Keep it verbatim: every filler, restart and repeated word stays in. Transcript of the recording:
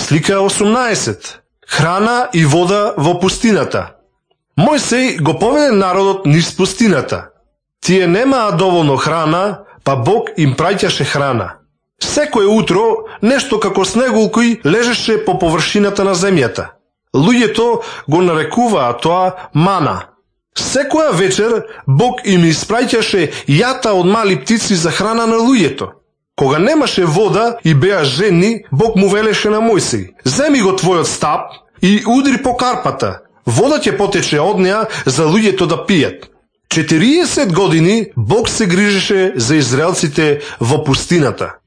Слика осумнаесет. Храна и вода во пустината. Мојсей го поведе народот низ пустината. Тие немаа доволно храна, па Бог им праќаше храна. Секое утро нешто како снегулки лежеше по површината на земјата. Луѓето го нарекуваа тоа мана. Секоја вечер Бог им испраќаше јата од мали птици за храна на луѓето. Кога немаше вода и беа жедни, Бог му велеше на Мојсей: земи го твојот стап и удри по карпата. Вода ќе потече од неа за луѓето да пијат. четириесет години Бог се грижеше за израелците во пустината.